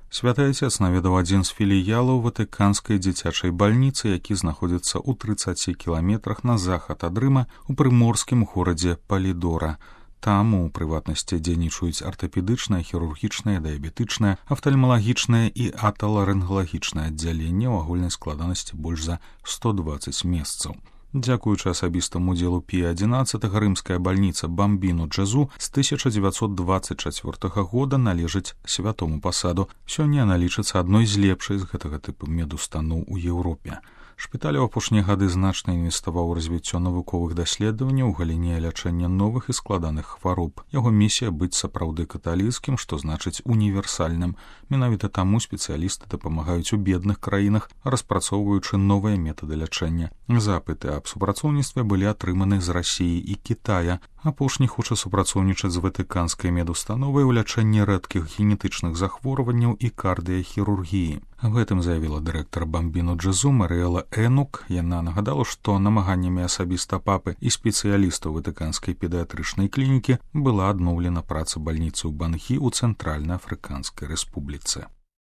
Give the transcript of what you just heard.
Святы Отец наведаў адзін з філіялаў ватыканскай дзіцячай бальніцы, які знаходзіцца ў 30 кіламетрах на захад ад Рыма у прыморскім горадзе Палідора. Там, у прыватнасці, дзейнічаюць артапедычнае, хірургічнае, дыябетычнае, афтальмалагічнае і аталарынгалагічнае аддзяленне ў агульнай складанасці больш за 120 месцаў. Дзякуючы асабістаму удзелу Пія XI рымская бальніца Бамбіну Джезу з 1924 года належыць святому пасаду. Сёння яна лічыцца адной з лепшай з гэтага тыпу медустаноў у Еўропе. Шпіталь у апошнія гады значна інвеставаў у развіццё навуковых даследаванняў у галіне лячэння новых і складаных хвароб. Яго місія быць сапраўды каталіцкім, што значыць універсальным. Менавіта таму спецыялісты дапамагаюць у бедных краінах, распрацоўваючы новыя метады лячэння. Запыты аб супрацоўніцтве былі атрыманы з Расіі і Кітая. Апошні хоча супрацоўнічаць з ватыканскай медустановай у лячэнні рэдкіх генетычных захворванняў і кардыяхірургіі. Аб гэтым заявіла дырэктар Бамбіну Джезу Марыэла Энук. Яна нагадала, што намаганнямі асабіста папы і спецыялістаў ватыканскай педыятрычнай клінікі была адноўлена праца бальніцы ў Бангі ў Цэнтральна-Афрыканскай рэспубліцы.